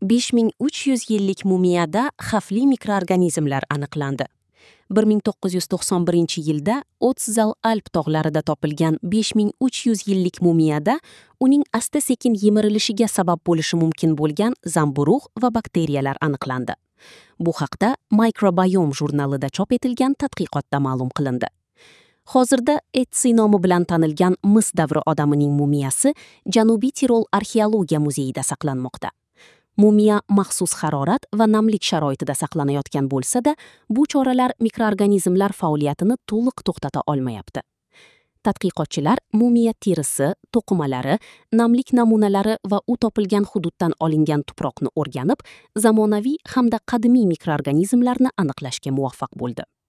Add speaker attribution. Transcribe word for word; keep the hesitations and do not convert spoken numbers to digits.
Speaker 1: besh ming uch yuz yillik mumiyada xavfli mikroorganizmlar aniqlandi. bir ming to'qqiz yuz to'qson birinchi yilda Otzal Alp tog'larida topilgan besh ming uch yuz yillik mumiyada uning asta-sekin yemirilishiga sabab bo'lishi mumkin bo'lgan zamburug' va bakteriyalar aniqlandi. Bu haqda Microbiome jurnalida chop etilgan tadqiqotda ma'lum qilindi. Hozirda Etsi nomi bilan tanilgan Mis davri odamining mumiyasi Janubiy Tirol arxeologiya muzeyida saqlanmoqda. Mumiya maxsus harorat va namlik sharoitida saqlanayotgan bo'lsa-da, bu choralar mikroorganizmlar faoliyatini to'liq to'xtata olmayapti. Tadqiqotchilar mumiya terisi, to'qimalari, namlik namunalari va u topilgan hududdan olingan tuproqni o'rganib, zamonaviy hamda qadimiy mikroorganizmlarni aniqlashga muvaffaq bo'ldi.